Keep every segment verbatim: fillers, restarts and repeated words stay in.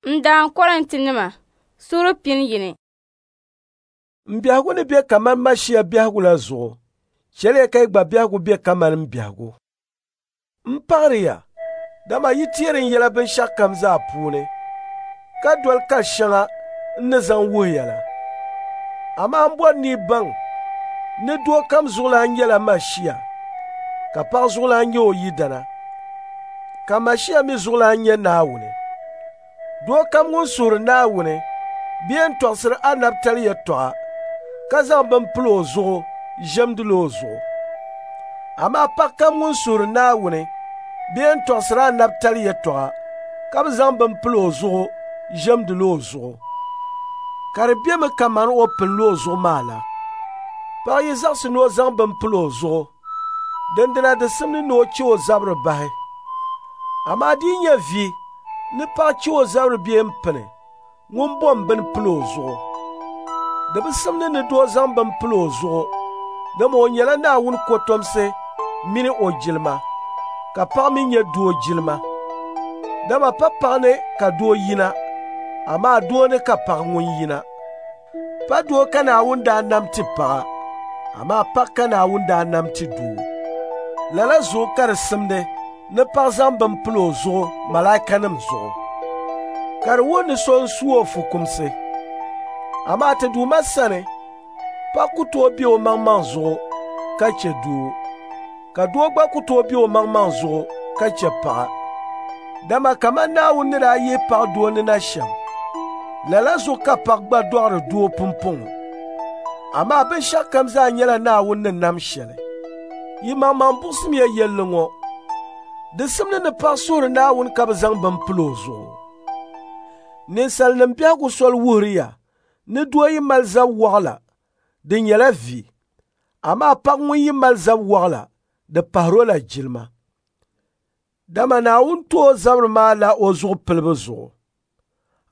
N daan Kɔrintinima, suura pini yini. N biɛhigu ni be kaman Mashia biɛhigu la zuɣu, chɛliya ka yi gba biɛhigu be kaman n biɛhigu. M paɣiri ya, dama yi teeri n yɛla binshɛɣukam zaa puuni, ka doli kali shɛŋa n ni zaŋ wuhi ya la. Amaa m bɔri ni yi baŋ ni doo kam zuɣulan nyɛla Mashia, ka paɣa zuɣulan nyɛ o yidana, ka Mashia mi zuɣulan nyɛ Naawuni. Doo kam ŋun suhiri Naawuni bee n-tɔɣisiri anabitali yɛtɔɣa ka zaŋ bini pili o zuɣu ʒiɛmdila o zuɣu. Amaa paɣa kam ŋun suhiri Naawuni bee n-tɔɣisiri anabitali yɛtɔɣa ka bi zaŋ bini pili o zuɣu ʒiɛmdila o zuɣu, ka di bemi kaman o pilila o zuɣu maa la. Paɣa yi zaɣisi ni o zaŋ bini pili o zuɣu, dindina di simdi ni o chɛ o zabiri bahi. Amaa di yi nyɛ vi ni paɣa chɛ o zabiri bee m-pini, ŋun bom bini pili o zuɣu. Di bi simdi ni doo zaŋ bini pili o zuɣu, dama o nyɛla Naawuni kɔtomsi mini o jilima, ka paɣa mi nyɛ doo jilima. Dama pa paɣa ni ka doo yina, amaa doo ni ka paɣa ŋun yina. Pa doo ka Naawuni daa nam ti paɣa, amaa paɣa ka Naawuni daa nam ti doo. Lala zuɣu ka di simdi ni paɣa zaŋ bini pili o zuɣu malaikanim zuɣu, ka di wuhi ni so n-su o fukumsi. Amaa ti Duuma sani, paɣa ku tooi be o maŋmaŋ zuɣu ka chɛ doo, ka doo gba ku tooi be o maŋmaŋ zuɣu ka chɛ paɣa. Dama kaman Naawuni ni daa yihi paɣa doo ni na shɛm, lala zuɣu ka paɣa gba dɔɣiri doo pumpɔŋɔ. Amaa binshɛɣukam zaa nyɛla Naawuni ni nam shɛli. Yi maŋmaŋ buɣisimiya yɛlli ŋɔ, di simdi ni paɣa suhiri Naawuni ka bɛ zaŋ bini pili o zuɣu. Ninsalinim biɛhigu soli wuhiri ya ni doo yi mali zab waɣila, di nyɛla vi, amaa paɣa ŋun yi mali zab waɣila, di pahiri o la jilima. Dama Naawuni ti o zabiri maa la o zuɣu pilibu zuɣu.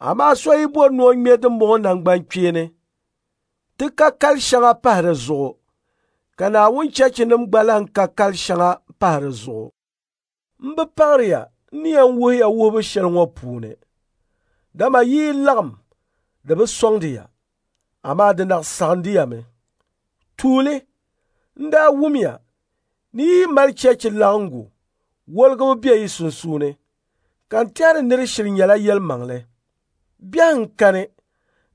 Amaa so yi bɔri ni o ŋme dimbɔŋɔ naŋgbankpeeni, ti ka kali shɛŋa pahi di zuɣu, ka Naawuni cheechinim gba lan ka kali shɛŋa pahi di zuɣu. M bi paɣiri ya n ni yɛn wuhi ya wuhibu shɛli ŋɔ puuni, dama yi yi laɣim di bi sɔŋdi ya, amaa di naɣ saɣindi ya mi. Tuuli, n daa wumya ni yi yi mali cheechi laɣiŋgu, woligibu be yi sunsuuni, ka n tɛhiri ni di shiri nyɛla yɛlimaŋli. Biɛhiŋ kani,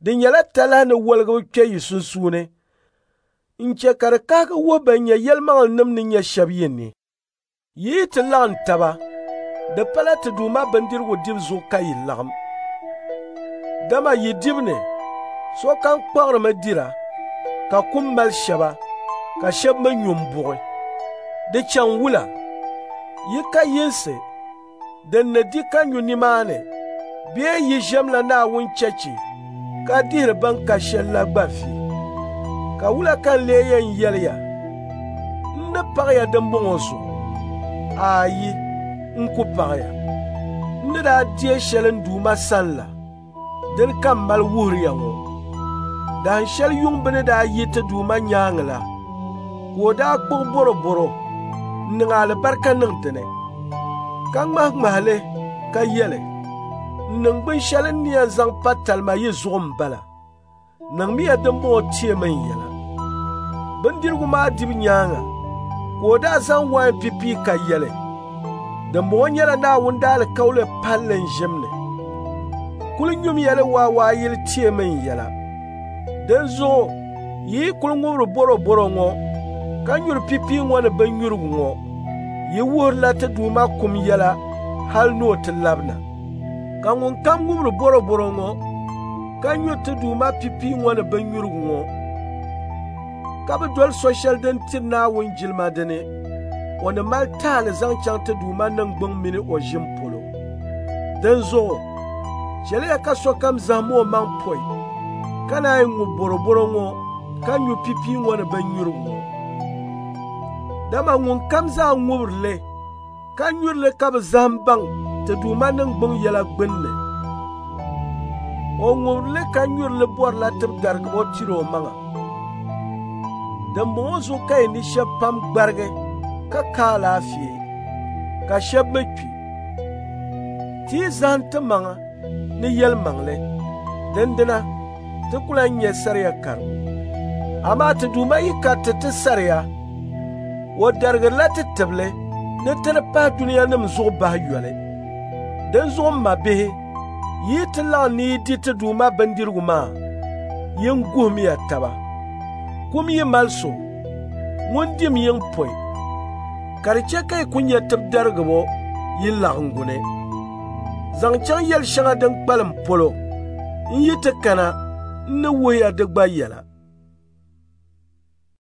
di nyɛla talahi ni woligibu kpe yi sunsuuni n-chɛ ka di kahigi wuhi bɛn nyɛ yɛlimaŋlinim ni nyɛ shɛba yi ni. Yi yi ti laɣim taba, di pala ti Duuma bindirigu dibu zuɣu ka yi laɣim. Dama yi dibu ni, sokam kpaɣirimi dira, ka kum mali shɛba, ka shɛba mi nyu m-buɣi. Di chaŋ wula? Yi ka yinsi din ni di ka nyu nimaani bee yi ʒiɛmla Naawuni cheechi ka dihiri bɛn ka shɛl la gba vi. Ka wula ka n lee yɛn yɛli ya? N ni paɣi ya dimbɔŋɔ zuɣu? Aayi, n ku paɣi ya. N ni daa deei shɛli n Duuma sani la, dini ka m mali wuhiri ya ŋɔ. Dahin shɛli yuŋ bɛ ni daa yi ti Duuma nyaaŋa la, ka o daa kpuɣi bɔrɔbɔro n-niŋ alibarika niŋ di ni, ka ŋmahiŋmahi li ka yɛli, “N niŋgbun shɛli n ni yɛn zaŋ pa talima yi zuɣu m-bala. Niŋmiya dimbɔŋɔ teemi n yɛla.” Bindirigu maa dibu nyaaŋa, ka o daa zaŋ wain pipii ka yɛli, “Dimbɔŋɔ nyɛla Naawuni daalikauli palli n ʒim ni. Kul nyumiya li waawaayili teemi n yɛla.” Dinzuɣu yi yi kul ŋubiri bɔrɔbɔro ŋɔ ka nyuri pipii ŋɔ ni binnyurigu ŋɔ, yi wuhirila ti Duuma kum yɛla hal ni o ti labina. Ka ŋunkam ŋubiri bɔrɔbɔro ŋɔ ka nyuri ti Duuma pipii ŋɔ ni binnyurigu ŋɔ, ka bi doli so shɛli din tiri Naawuni jilima dini, o ni mali taali zaŋ chaŋ ti Duuma niŋgbuŋ mini o ʒim polo. Dinzuɣu chɛliya ka sokam zahim o maŋ pɔi, ka naan ŋubi bɔrɔbɔro ŋɔ ka nyu pipii ŋɔ ni binnyurigu ŋɔ. Dama ŋunkam zaa ŋubiri li ka nyuri li ka bi zahim baŋ ti Duuma niŋgbuŋ yɛla gbinni, o ŋubiri li ka nyuri li bɔrila tibidarigibo tiri o maŋa. Dimbɔŋɔ zuɣu ka yi ni shɛba pam gbarigi ka ka alaafee, ka shɛba mi kpi. Ti yi zahim timaŋa, ni yɛlimaŋli, dindina ti ku lan nya saria karibu. Amaa ti Duuma yi kariti ti saria, o darigirila ti tibili ni ti di pahi dunianim zuɣu bahi yoli. Dinzuɣu m mabihi, yi yi ti laɣim ni yi di ti Duuma bindirigu maa, yin guhimiya taba. Kum yi mali so, ŋun dim yiŋ pɔi, ka di chɛ ka yi ku nya tibidarigibo yi laɣiŋgu ni. Zaŋ chaŋ yɛl shɛŋa din kpalim polo, n yi ti kana, n ni wuhi ya di gba yɛla.